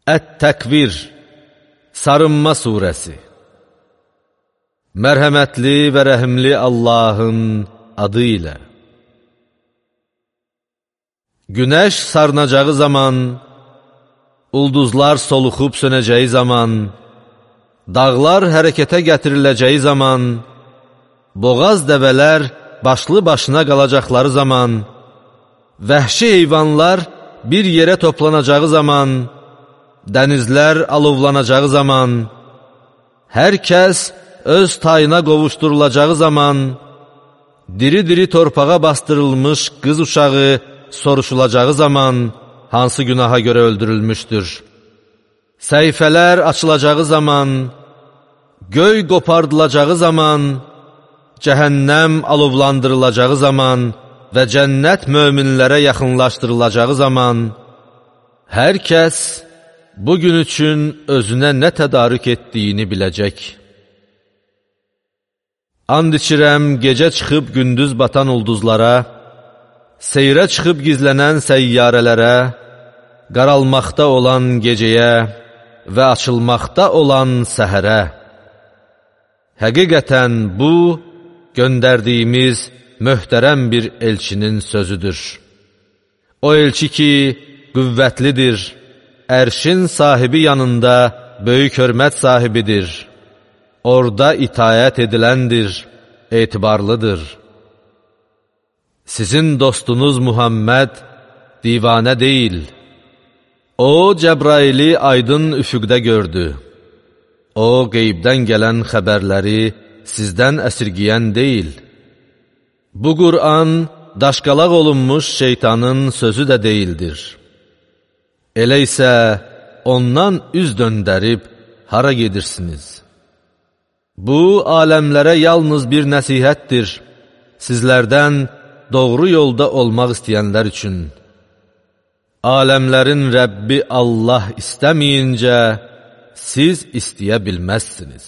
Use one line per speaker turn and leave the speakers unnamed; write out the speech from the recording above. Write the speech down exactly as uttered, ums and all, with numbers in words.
Ət-Təkvir, Sarınma surəsi. Mərhəmətli və rəhimli Allahın adı ilə. Günəş sarınacağı zaman, ulduzlar soluxub sönəcəyi zaman, dağlar hərəkətə gətiriləcəyi zaman, boğaz dəvələr başlı başına qalacaqları zaman, vəhşi heyvanlar bir yerə toplanacağı zaman, dənizlər alovlanacağı zaman, hər kəs öz tayına qovuşdurulacağı zaman, diri-diri torpağa bastırılmış qız uşağı soruşulacağı zaman, hansı günaha görə öldürülmüşdür. Səhifələr açılacağı zaman, göy qopardılacağı zaman, cəhənnəm alovlandırılacağı zaman və cənnət möminlərə yaxınlaşdırılacağı zaman, hər kəs bugün üçün özünə nə tədarük etdiyini biləcək. And içirəm gecə çıxıb gündüz batan ulduzlara, seyrə çıxıb gizlənən səyyarələrə, qaralmaqda olan gecəyə və açılmaqda olan səhərə. Həqiqətən bu, göndərdiyimiz möhtərəm bir elçinin sözüdür. O elçi ki, qüvvətlidir, ərşin sahibi yanında böyük hörmət sahibidir. Orada itayət ediləndir, etibarlıdır. Sizin dostunuz Muhammed divanə deyil. O, Cəbraili aydın üfüqdə gördü. O, qeybdən gələn xəbərləri sizdən əsirgiyən deyil. Bu Qur'an, daşqalaq olunmuş şeytanın sözü də deyildir. Elə isə ondan üz döndərib hara gedirsiniz? Bu, aləmlərə yalnız bir nəsihətdir, sizlərdən doğru yolda olmaq istəyənlər üçün. Aləmlərin Rəbbi Allah istəməyincə, siz istəyə bilməzsiniz.